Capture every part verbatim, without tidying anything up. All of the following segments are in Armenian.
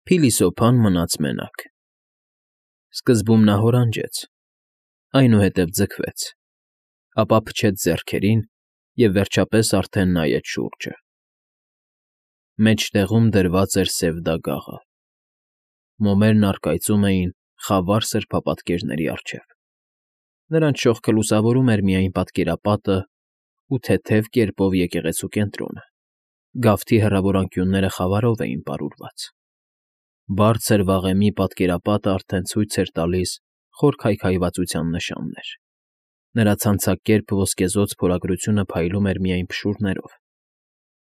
Փիլիսոփան մնաց մենակ։ Սկզբում նա հորանջեց, այնուհետև ձգվեց, ապա փչեց ձեռքերին և, վերջապես, արդեն նայեց շուրջը. մեջտեղում դրված էր սև դագաղը, մոմերն առկայծում էին խավար սրբապատկերների առջև, նրանց շողքը լուսավորում էր միայն պատկերապատն ու թեթև կերպով եկեղեցու կենտրոնը, գավթի հեռավոր անկյունները խավարով էին պարուրված, բարձր վաղեմի պատկերապատն արդեն ցույց էր տալիս խոր քայքայվածության նշաններ, նրա ցանցակերպ ոսկեզօծ փորագրությունը փայլում էր միայն փշուրներով,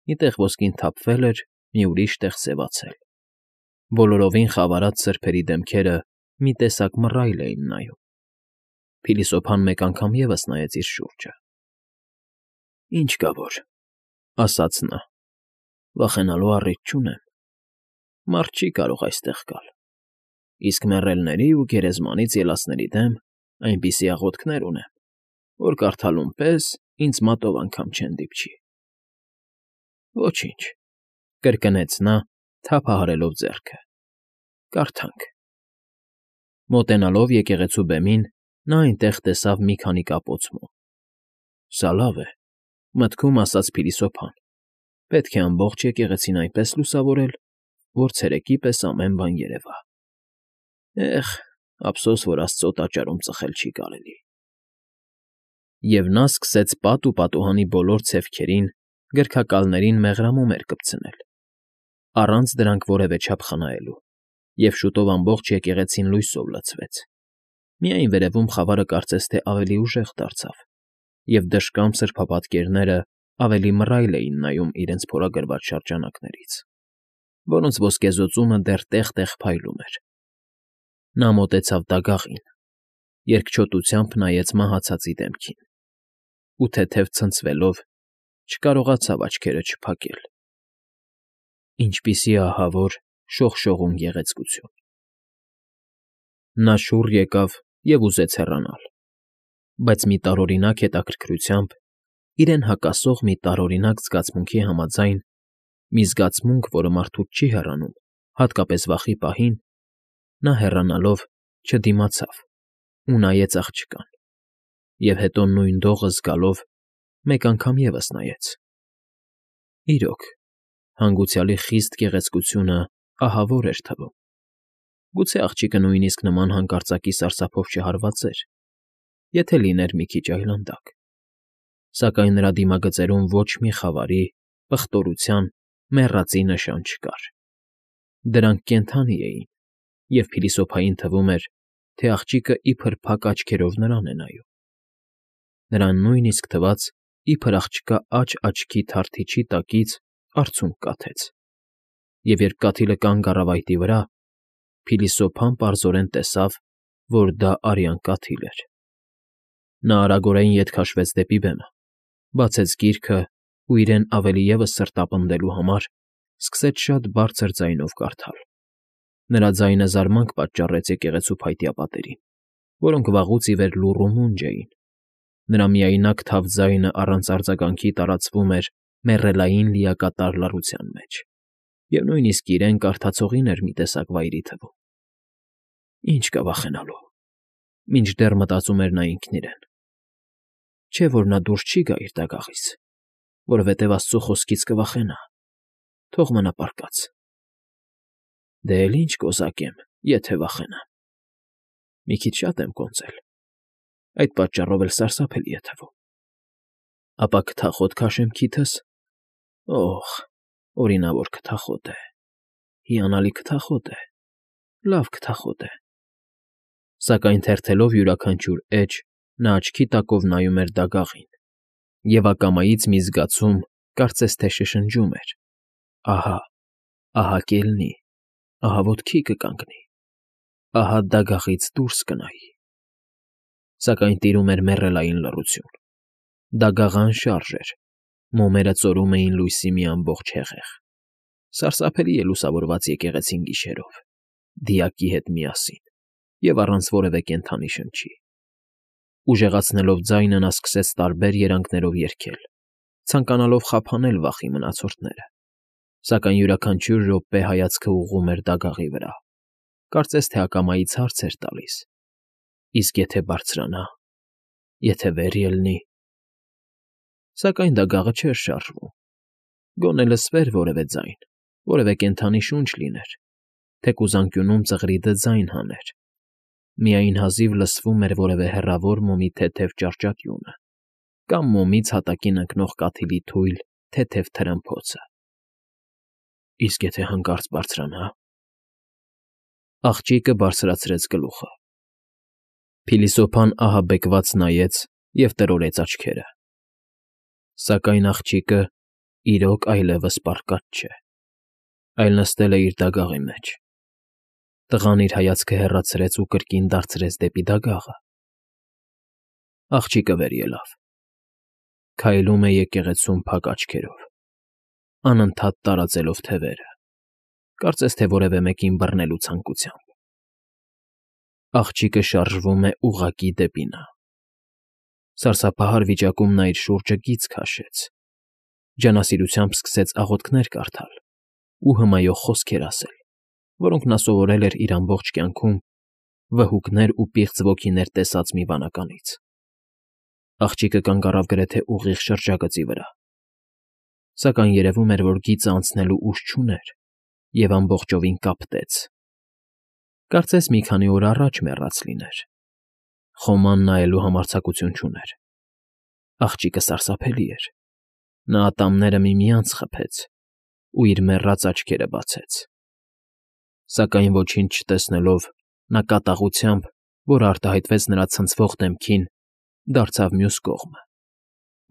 մի տեղ ոսկին թափվել էր, մի ուրիշ տեղ սևացել, բոլորովին խավարած սրբերի դեմքերը մի տեսակ մռայլ էին նայում, փիլիսոփան մեկ անգամ ևս նայեց իր շուրջը։ ֊ Ինչ կա որ,֊ ասաց նա,֊ վախենալու առիթ չունեմ, մարդ չի կարող այստեղ գալ, իսկ մեռելների ու գերեզմանից ելածների դեմ այնպիսի աղոթքներ ունեմ, որ կարդալուն պես ինձ մատով անգամ չեն դիպչի։ ֊ Ոչինչ,֊ կրկնեց նա, թափահարելով ձեռքը,֊ կարդանք։ Մոտենալով եկեղեցու բեմին, նա այնտեղ տեսավ մի քանի կապոց մոմ։ «Սա լավ է,֊ մտքում ասաց փիլիսոփան,֊ պետք է ամբողջ եկեղեցին այնպես լուսավորել, որ ցերեկի պես ամեն բան երևա… Էհ, ափսոս, որ աստծո տաճարում ծխել չի կարելի»։ Եվ նա սկսեց պատ ու պատուհանի բոլոր ցևքերին, գրքակալներին մեղրամոմեր կպցնել, առանց դրանք որևէ չափ խնայելու, և շուտով ամբողջ եկեղեցին լույսով լցվեց, միայն վերևում խավարը կարծես թե ավելի ուժեղ դարձավ, և դժկամ սրբապատկերներն ավելի մռայլ էին նայում իրենց փորագրված շրջանակներից, որոնց ոսկեզօծումը դեռ տեղ֊տեղ փայլում էր։ Նա մոտեցավ դագաղին, երկչոտությամբ նայեց մահացածի դեմքին ու, թեթև ցնցվելով, չկարողացավ աչքերը չփակել. ինչպիսի ահավոր, շողշողուն գեղեցկություն… Նա շուռ եկավ և ուզեց հեռանալ, բայց մի տարօրինակ հետաքրքրությամբ, իրեն հակասող մի տարօրինակ զգացմունքի համաձայն, մի զգացմունք, որը մարդուց չի հեռանում, հատկապես վախի պահին, նա, հեռանալով, չդիմացավ ու նայեց աղջկան, և հետո նույն դողը զգալով, մեկ անգամ ևս նայեց… Իրոք, հանգուցյալի խիստ գեղեցկությունը ահավոր էր թվում… Գուցե աղջիկը նույնիսկ նման հանկարծակի սարսափով չհարվածեր, եթե լիներ մի քիչ այլանդակ, սակայն նրա դիմագծերում ոչ մի խավարի, պղտորության, մեռածի նշան չկար… Դրանք կենդանի էին, և փիլիսոփային թվում էր, թե աղջիկը իբր փակ աչքերով նրան է նայում… Նրան նույնիսկ թվաց, իբր աղջկա աջ աչքի թարթիչի տակից արցունք կաթեց, և երբ կաթիլը կանգ առավ այտի վրա, փիլիսոփան պարզորեն տեսավ, որ դա արյան կաթիլ էր… Նա արագորեն ետ քաշվեց դեպի բեմը, բացեց գիրքն ու իրեն ավելի ևս սրտապնդելու համար սկսեց շատ բարձր ձայնով կարդալ… Նրա ձայնը զարմանք պատճառեց եկեղեցու փայտյա պատերին, որոնք վաղուց ի վեր լուռ ու մունջ էին, նրա միայնակ թավ ձայնը առանց արձագանքի տարածվում էր մեռելային լիակատար լռության մեջ, և նույնիսկ իրեն կարդացողին էր մի տեսակ վայրի թվում… Ինչ կա վախենալու, մինչդեռ մտածում էր նա ինքն իրեն, չէ՞ որ նա դուրս չի գա իր դագաղից, որովհետև աստծու խոսքից կվախենա, թող մնա պառկած… Դե էլ ինչ կոզակեմ, եթե վախենամ… Մի քիչ շատ եմ կոնծել, այդ պատճառով էլ սարսափելի է թվում… Ապա կթախոտ քաշեմ քիթս… Օհ, օրինավոր քթախոտ է, հիանալի քթախոտ է, լավ քթախոտ է… Սակայն թերթելով յուրաքանչյուր էջ, նա աչքի տակով նայում էր դագաղին, և ակամայից մի զգացում, կարծես թե շշնջում էր. ահա, ահա կելնի, ահա ոտքի կկանգնի, ահա դագաղից դուրս կնայի… Սակայն տիրում էր մեռելային լռություն, դագաղը անշարժ էր, մոմերը ծորում էին լույսի մի ամբողջ հեղեղ… Սարսափելի է լուսավորված եկեղեցին գիշերով, դիակի հետ միասին և առանց որևէ կենդանի շնչի… Ուժեղացնելով ձայնը, նա սկսեց տարբեր երանգներով երգել, ցանկանալով խափանել վախի մնացորդները, Սակայն յուրաքանչյուր րոպե հայացքը ուղղում էր դագաղի վրա, կարծես թե ակամայից հարց էր տալիս. իսկ եթե բարձրանա, եթե վեր ելնի… Սակայն դագաղը չէր շարժվում, գոնե լսվեր որևէ ձայն, որևէ կենդանի շունչ լիներ, թեկուզ անկյունում ծղրիդը ձայն հաներ, միայն հազիվ լսվում էր որևէ հեռավոր մոմի թեթև ճառճատյունը կամ մոմից հատակին ընկնող կաթիլի թույլ, թեթև թրմփոցը… Իսկ եթե հանկարծ բարձրանա… Աղջիկը բարձրացրեց գլուխը. Փիլիսոփան ահաբեկված նայեց և տրորեց աչքերը… Սակայն աղջիկը իրոք այլևս պառկած չէ, այլ նստել է իր դագաղի մեջ… Տղան իր հայացքը հեռացրեց ու կրկին դարձրեց դեպի դագաղը… Աղջիկը վեր ելավ, քայլում է եկեղեցում փակ աչքերով, անընդհատ տարածելով թևերը, կարծես թե որևէ մեկին բռնելու ցանկությամբ… Աղջիկը շարժվում է ուղղակի դեպի նա… Սարսափահար վիճակում նա իր շուրջը գիծ քաշեց, ջանասիրությամբ սկսեց աղոթքներ կարդալ ու հմայող խոսքեր ասել, որոնք նա սովորել էր իր ամբողջ կյանքում վհուկներ ու պիղծ ոգիներ տեսած մի վանականից… Աղջիկը կանգ առավ գրեթե ուղիղ շրջագծի վրա, սակայն երևում էր, որ գիծը անցնելու ուժ չուներ և ամբողջովին կապտեց… Կարծես մի քանի օր առաջ մեռած լիներ… Խոման նայելու համարձակություն չուներ… Աղջիկը սարսափելի էր… Նա ատամները միմյանց խփեց ու իր մեռած աչքերը բացեց… Սակայն ոչինչ չտեսնելով, նա կատաղությամբ, որ արտահայտվեց նրա ցնցվող դեմքին, դարձավ մյուս կողմը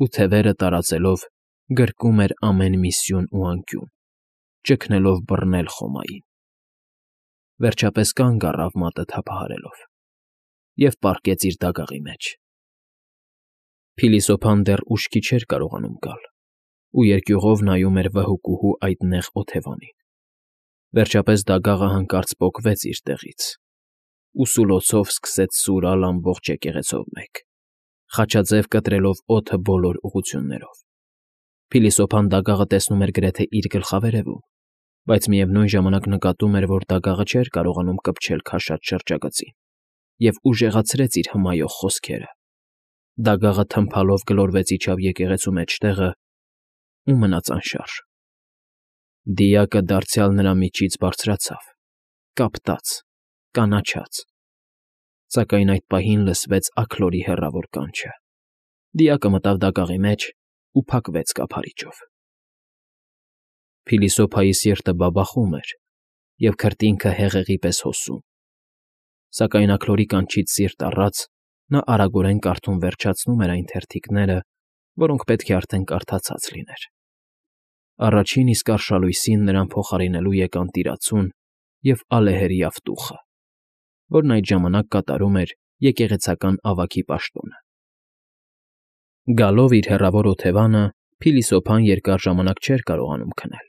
ու, թևերը տարածելով, գրկում էր ամեն մի սյուն ու անկյուն, ճգնելով բռնել Խոմային… Վերջապես կանգ առավ մատը թափահարելով և պառկեց իր դագաղի մեջ… Փիլիսոփան դեռ ուշքի չէր կարողանում գալ ու երկյուղով նայում էր վհուկուհու այդ նեղ օթևանին… Վերջապես դագաղը հանկարծ պոկվեց իր տեղից ու սուլոցով սկսեց սուրալ ամբողջ եկեղեցով մեկ, խաչաձև կտրելով օդը բոլոր ուղղություններով… Փիլիսոփան դագաղը տեսնում էր գրեթե իր գլխավերևում, բայց միևնույն ժամանակ նկատում էր, որ դագաղը չէր կարողանում կպչել քաշած շրջագծին և ուժեղացրեց իր հմայող խոսքերը… Դագաղը թմփալով գլորվեց իջավ եկեղեցու մեջտեղը ու մնաց անշարժ… Դիակը դարձյալ նրա միջից բարձրացավ, կապտաց, կանաչաց… Սակայն այդ պահին լսվեց աքլորի հեռավոր կանչը… Դիակը մտավ դագաղի մեջ ու փակվեց կափարիչով… Փիլիսոփայի սիրտը բաբախում էր և քրտինքը հեղեղի պես հոսում… Սակայն աքլորի կանչից սիրտ առած, նա արագորեն կարդում վերջացնում էր այն թերթիկները, որոնք պետք է արդեն կարդացած լիներ… Առաջին իսկ արշալույսին նրան փոխարինելու եկան տիրացուն և ալեհերի ավտուխը, որն այդ ժամանակ կատարում էր եկեղեցական ավագի պաշտոնը… Գալով իր հեռավոր օթևանը՝ Փիլիսոփան երկար ժամանակ չէր կարողանում քնել,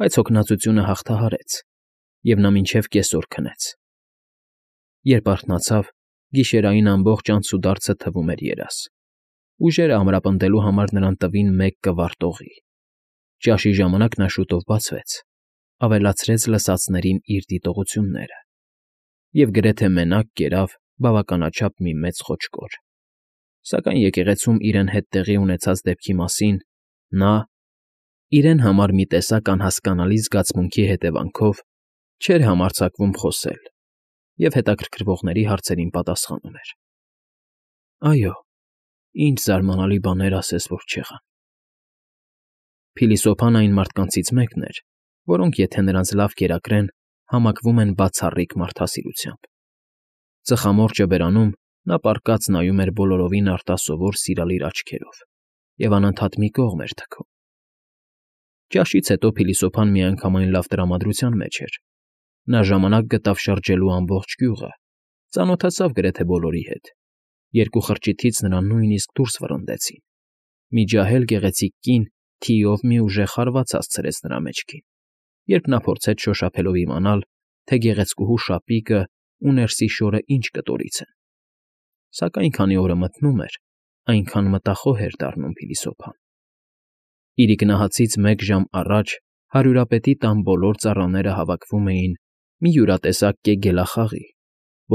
բայց հոգնածությունը հաղթահարեց, և նա մինչև կեսօր քնեց… Երբ արթնացավ, գիշերային ամբողջ անցուդարձը թվում էր երազ… Ուժերը ամրապնդելու համար նրան տվին մեկ կվարտ օղի… Ճաշի ժամանակ նա շուտով բացվեց, ավելացրեց լսածներին իր դիտողությունները և գրեթե մենակ կերավ բավականաչափ մի մեծ խոճկոր… Սակայն եկեղեցում իրեն հետ տեղի ունեցած դեպքի մասին նա, իրեն համար մի տեսակ անհասկանալի զգացմունքի հետևանքով, չէր համարձակվում խոսել և հետաքրքրվողների հարցերին պատասխանում էր. «Այո, ինչ զարմանալի բաներ ասես, որ չեղան…» Փիլիսոփան այն մարդկանցից մեկն էր, որոնք, եթե նրանց լավ կերակրեն, համակվում են բացառիկ մարդասիրությամբ… Ծխամորճը բերանում, նա պառկած նայում էր բոլորովին արտասովոր սիրալիր աչքերով և անընդհատ մի կողմ էր թքում… Ճաշից հետո Փիլիսոփան միանգամայն լավ տրամադրության մեջ էր… Նա ժամանակ գտավ շրջելու ամբողջ գյուղը, ծանոթացավ գրեթե բոլորի հետ… Երկու խրճիթից նրան նույնիսկ դուրս վռնդեցին… Մի ջահել գեղեցիկ կին թիով մի ուժեղ հարված հասցրեց նրա մեջքին, երբ նա փորձեց շոշափելով իմանալ, թե գեղեցկուհու շապիկն ու ներսի շորն ինչ կտորից են… Սակայն քանի օրը մթնում էր, այնքան մտախոհ էր դառնում Փիլիսոփան… Իրիկնահացից մեկ ժամ առաջ հարյուրապետի տան բոլոր ծառաները հավաքվում էին մի յուրատեսակ կեգելախաղի,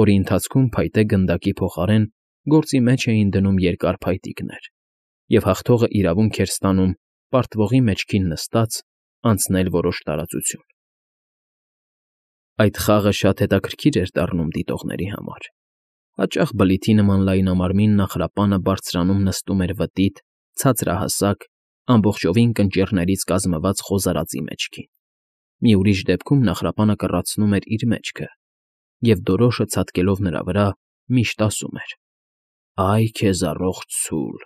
որի ընթացքում փայտե գնդակի փոխարեն գործի մեջ էին դնում երկար փայտիկներ, և հաղթողը իրավունք էր ստանում պարտվողի մեջքին նստած անցնել որոշ տարածություն։ Այդ խաղը շատ հետաքրքիր էր դառնում դիտողների համար։ Հաճախ բլիթի նման լայնամարմին նախրապանը բարձրանում նստում էր վտիտ, ցածրահասակ, ամբողջովին կնճիռներից կազմված խոզարածի մեջքին, մի ուրիշ դեպքում նախրապանը կռացնում էր իր մեջքը, և դորոշը ցատկելով նրա վրա միշտ ասում էր. «Այ քեզ առողջ ցուլ»։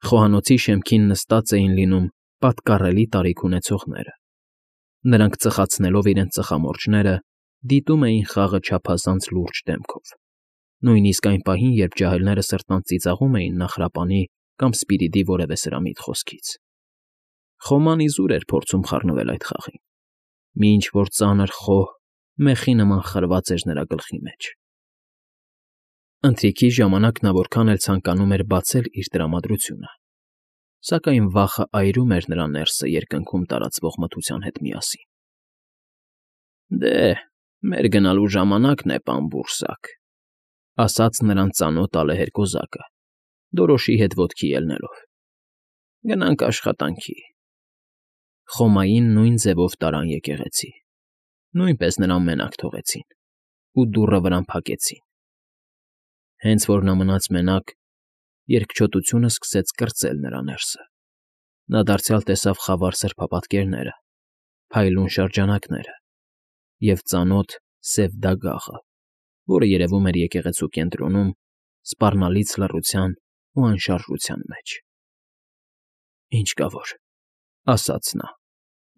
Խոհանոցի շեմքին նստած էին լինում պատկառելի տարիք ունեցողները։ Նրանք ծխացնելով իրենց ծխամորճները, դիտում էին խաղը չափազանց լուրջ դեմքով, նույնիսկ այն պահին, երբ ջահելները սրտանց ծիծաղում էին նախրապանի կամ Սպիրիդի որևէ սրամիտ խոսքից։ Խոման իզուր էր փորձում խառնվել այդ խաղին։ Մի ինչ֊որ ծանր խոհ մեխի նման խրված էր նրա գլխի մեջ։ Ընթրիքի ժամանակ նա որքան էլ ցանկանում էր բացել իր տրամադրությունը, սակայն վախը այրում էր նրա ներսը երկնքում տարածվող մթության հետ միասին։ «Դե, մեր գնալու ժամանակն է, պան բուրսակ», ֊ ասաց նրան ծանոթ ալեհեր կոզակը, դորոշի հետ ոտքի ելնելով։ «Գնանք աշխատանքի»։ Խոմային նույն ձևով տարան եկեղեցի, նույնպես նրան մենակ թողեցին ու դուռը վրան փակեցին։ Հենց որ նա մնաց մենակ, երկչոտությունը սկսեց կրծել նրա ներսը։ Նա դարձյալ տեսավ խավար սրբապատկերները, փայլուն շրջանակները և ծանոթ սև դագաղը, որը երևում էր եկեղեցու կենտրոնում, սպառնալից լռության ու անշարժության մեջ։ «Ինչ կա որ,֊ ասաց նա,֊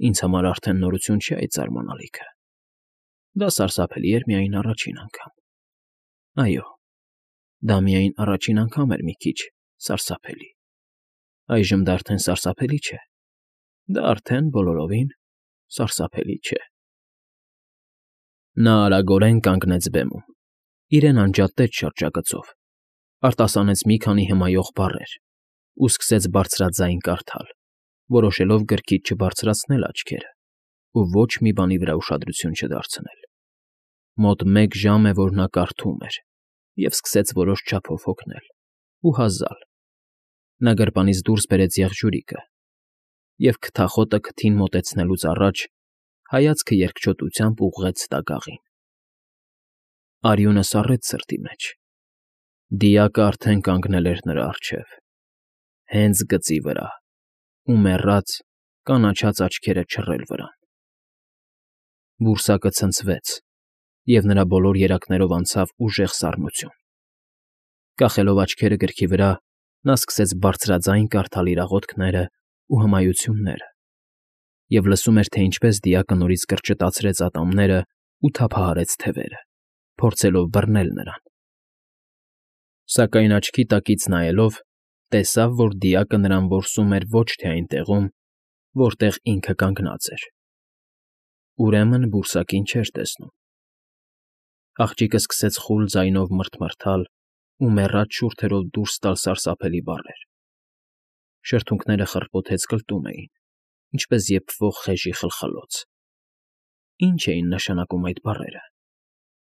ինձ համար արդեն նորություն չէ այդ զարմանալիքը։ Դա սարսափելի էր միայն առաջին անգամ։ Այո, դա միայն առաջին անգամ էր մի քիչ սարսափելի։ Այժմ դա արդեն սարսափելի չէ։ Դա արդեն բոլորովին սարսափելի չէ»։ Նա արագորեն կանգնեց բեմում, իրեն անջատեց շրջագծով, արտասանեց մի քանի հմայող բառեր ու սկսեց բարձրաձայն կարդալ, որոշելով գրքից չբարձրացնել աչքերը ու ոչ մի բանի վրա ուշադրություն չդարձնել։ Մոտ մեկ ժամ է, որ նա կարդում էր, և սկսեց որոշ չափով հոգնել ու հազալ։ Նա գրպանից դուրս բերեց եղջյուրիկը և, քթախոտը քթին մոտեցնելուց առաջ, հայացքը երկչոտությամբ ուղղեց դագաղին։ Արյունը սառեց սրտի մեջ։ Դիակը արդեն կանգնել էր նրա առջև, հենց գծի վրա, ու մեռած, կանաչած աչքերը չռել վրան։ Բուրսակը ցնցվեց, և նրա բոլոր երակներով անցավ ուժեղ սառնություն։ Կախելով աչքերը գրքի վրա, նա սկսեց բարձրաձայն կարդալ իր աղոթքներն ու հմայությունները և լսում էր, թե ինչպես դիակը նորից կրճտացրեց ատամներն ու թափահարեց թևերը, փորձելով բռնել նրան։ Սակայն աչքի տակից նայելով՝ տեսավ, որ դիակը նրան որսում էր ոչ թե այն տեղում, որտեղ ինքը կանգնած էր։ Ուրեմն բուրսակին չէր տեսնում։ Աղջիկը սկսեց խուլ ձայնով մռթմռթալ ու մեռած շուրթերով դուրս տալ սարսափելի բառեր։ Շրթունքները խռպոթեց կլտում էին, ինչպես եփվող խեժի խլխլոց։ Ինչ էին նշանակում այդ բառերը։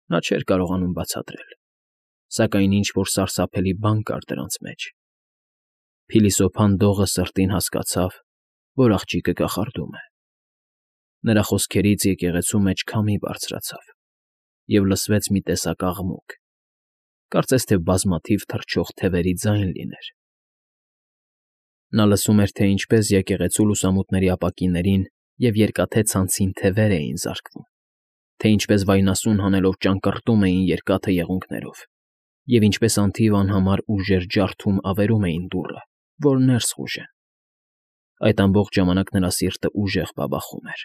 Նա չէր կարողանում բացատրել, սակայն ինչ֊որ սարսափելի բան կար դրանց մեջ։ Փիլիսոփան դողը սրտին հասկացավ, որ աղջիկը կախարդում է։ Նրա խոսքերից եկեղեցու մեջ քամի բարձրացավ, և լսվեց մի տեսակ աղմուկ, կարծես թե բազմաթիվ թռչող թևերի ձայն լիներ։ Նա լսում էր, թե ինչպես եկեղեցու լուսամուտների ապակիներին և երկաթե ցանցին թևեր էին զարկվում, թե ինչպես վայնասուն հանելով ճանկռտում էին երկաթե եղունգներով, և ինչպես անթիվ անհամար ուժեր ջարդում ավերում էին դուռը, որ ներս խուժեն։ Այդ ամբողջ ժամանակ նրա սիրտը ուժեղ բաբախում էր։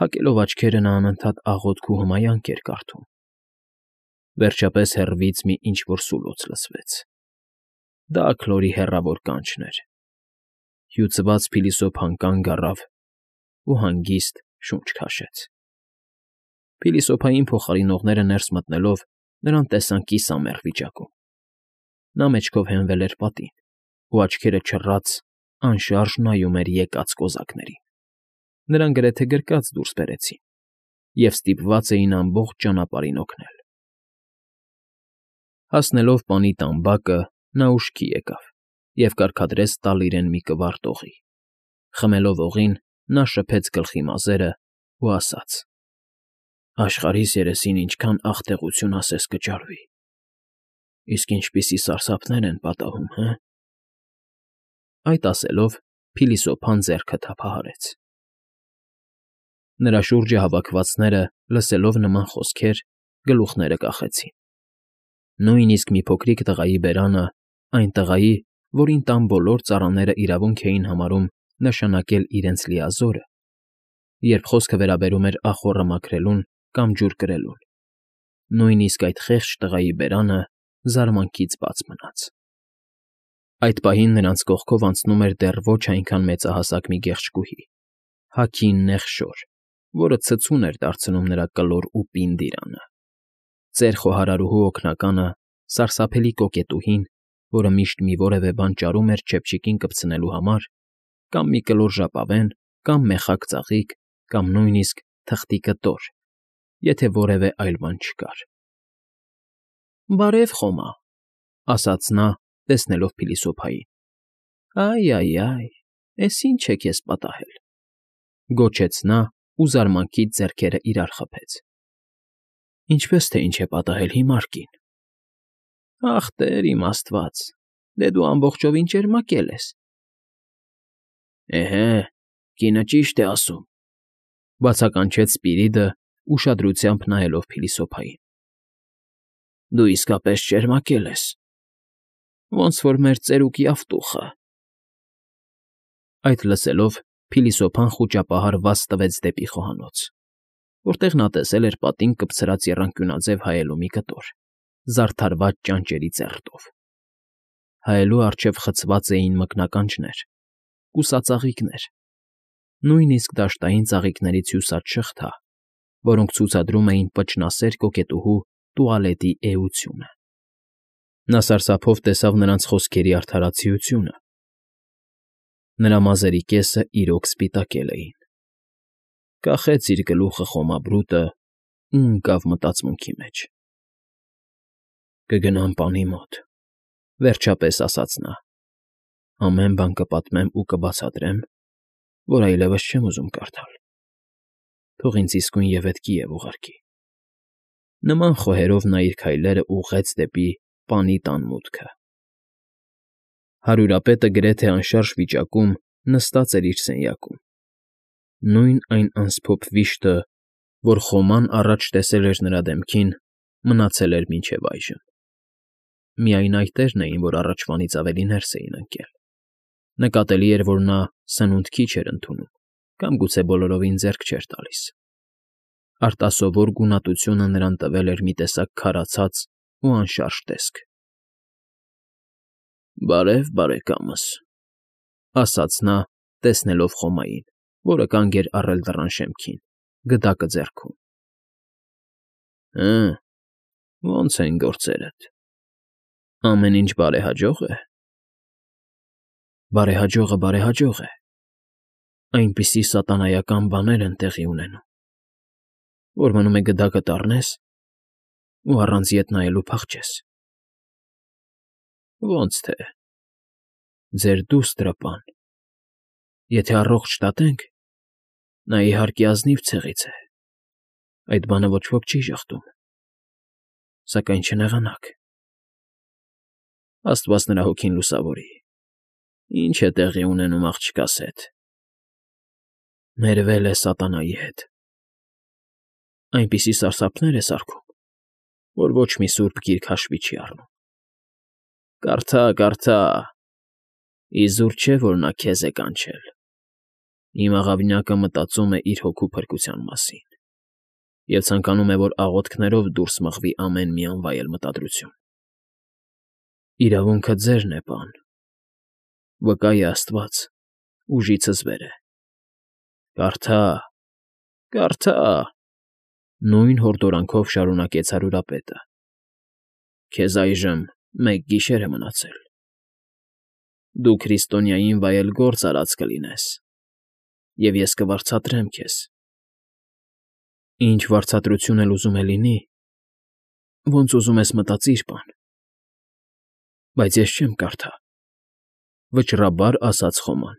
Փակելով աչքերը՝ նա անընդհատ աղոթք ու հմայանք էր կարդում։ Վերջապես հեռվից մի ինչ֊որ սուլոց լսվեց։ Դա Աքլորի հեռավոր կանչն էր։ Հյուծված փիլիսոփան կանգ առավ ու հանգիստ շունչ քաշեց։ Փիլիսոփային փոխարինողները ներս մտնելով նրան տեսան կիսամեռ վիճակում։ Նա մեջքով հենվել էր պատին ու, աչքերը չռած, անշարժ նայում էր եկած կոզակներին։ նրան գրեթե գրկած դուրս բերեցին և ստիպված էին ամբողջ ճանապարհին օգնել։ Հասնելով պանի տան բակը, նա ուշքի եկավ և կարգադրեց տալ իրեն մի կվարտ օղի։ Խմելով օղին, նա շփեց գլխի մազերն ու ասաց. «Աշխարհիս երեսին ինչքան աղտեղություն ասես կճարվի, իսկ ինչպիսի սարսափներ են պատահում, հը»։ Այդ ասելով փիլիսոփան ձեռքը թափահարեց։ Նրա շուրջը հավաքվածները, լսելով նման խոսքեր, գլուխները կախեցին։ Նույնիսկ մի փոքրիկ տղայի բերանը, այն տղայի, որին տան բոլոր ծառաները իրավունք էին համարում նշանակել իրենց լիազորը, երբ խոսքը վերաբերում էր ախոռը մաքրելուն կամ ջուր կրելուն, նույնիսկ այդ խեղճ տղայի բերանը զարմանքից բաց մնաց։ Այդ պահին նրանց կողքով անցնում էր դեռ ոչ այնքան մեծահասակ մի գեղեցկուհի, հագին նեղ շոր, որը ցցուն էր դարձնում նրա կլոր ու պինդ իրանը։ Ծեր խոհարարուհու օգնականը, սարսափելի կոկետուհին, որը միշտ մի որևէ բան ճարում էր չեփչիկին կպցնելու համար, կամ մի կլոր ժապավեն, կամ մեխակ ծաղիկ, կամ նույնիսկ թղթի կտոր, եթե որևէ այլ բան չկար։ «Բարև, Խոմա», ասաց նա, տեսնելով փիլիսոփային։ «Այ֊այ֊այ, էս ի՞նչ է քեզ պատահել», գոչեց նա ու զարմանքից ձեռքերը իրար խփեց։ «Ինչպես թե ինչ է պատահել, հիմար կին»։ «Ախ, Տեր իմ Աստված, դե դու ամբողջովին ճերմակել ես»։ «Էհե, կինը ճիշտ է ասում», բացականչեց Սպիրիդը, ուշադրությամբ նայելով փիլիսոփային։ «Դու իսկապես ճերմակել ես, ոնց որ մեր ծերուկի ավտուխը»։ Այդ լսելով փիլիսոփան խուճապահար վազ տվեց դեպի խոհանոց, որտեղ նա տեսել էր պատին կպցրած եռանկյունաձև հայելու մի կտոր, զարդարված ճանճերի ծերտով։ Հայելու առջև խցված էին մկնականջներ, կուսածաղիկներ, նույնիսկ դաշտային ծաղիկներից հյուսած շղթա, որոնք ցուցադրում էին պճնասեր կոկետուհու տուալետի էությունը։ Նա սարսափով տեսավ նրանց խոսքերի արդարացիությունը։ Նրա մազերի կեսը իրոք սպիտակել էին։ Կախեց իր գլուխը խոմաբրուտը ու ընկավ մտածմունքի մեջ։ «Կգնամ պանի մոտ», վերջապես ասաց նա։ «Ամեն բան կպատմեմ ու կբացատրեմ, որ այլևս չեմ ուզում կարդալ։ Թող ինձ իսկույն ևեթկի և ուղարկի»։ Նման խոհերով նա իր քայլերն ուղղեց դեպի պանի տան մուտքը։ Հարուրապետը գրեթե անշարժ վիճակում նստած էր իր սենյակում։ Նույն այն անսփոփ վիշտը, որ Խոման առաջ տեսել էր նրա դեմքին, մնացել էր մինչև այժմ։ Միայն այտերն էին, որ առաջվանից ավելի ներս էին ընկել։ Նկատելի էր, որ նա սնունդ քիչ էր ընդունում կամ գուցե բոլորովին ձեռք չէր տալիս։ Արտասովոր գունատությունը նրան տվել էր մի տեսակ քարացած ու անշարժ տեսք։ «Բարև, բարեկամս», ասաց նա, տեսնելով Խոմային, որը կանգ էր առել դռան շեմքին, գդակը ձեռքում։ «Հը, ո՞նց են գործերդ, ամեն ինչ բարեհաջո՞ղ է»։ «Բարեհաջողը բարեհաջող է, այնպիսի սատանայական բաներ են տեղի ունենում, որ մնում է գդակդ առնես ու առանց ետ նայելու փախչես»։ «Ոնց թե, ձեր դուստրը, պան, եթե առողջ շտատենք, նա, իհարկե, ազնիվ ցեղից է, այդ բանը ոչ ոք չի ժխտում, սակայն չնեղանաք։ Աստված նրա հոգին լուսավորի, ինչ է տեղի ունենում աղջկաս հետ։ Մերվել է սատանայի հետ, այնպիսի սարսափներ է սարքում, որ ոչ մի սուրբ գիրք հաշվի չի առնում։ Կարդա, կարդա, իզուր չէ, որ նա քեզ է կանչել։ Իմ աղավնյակը մտածում է իր հոգու փրկության մասին և ցանկանում է, որ աղոթքներով դուրս մղվի ամեն մի անվայել մտադրություն։ Իրավունքը ձերն է, պան, վկա է Աստված, ուժիցս վեր է։ Կարդա, կարդա…» Նույն հորդորանքով շարունակեց հարուրապետը։ «Քեզ այժմ մեկ գիշեր է մնացել։ Դու քրիստոնյային վայել գործ արած կլինես, և ես կվարձատրեմ քեզ։ Ինչ վարձատրություն էլ ուզում է լինի, ոնց ուզում ես մտածիր, պան, բայց ես չեմ կարդա,֊ վճռաբար ասաց Խոման։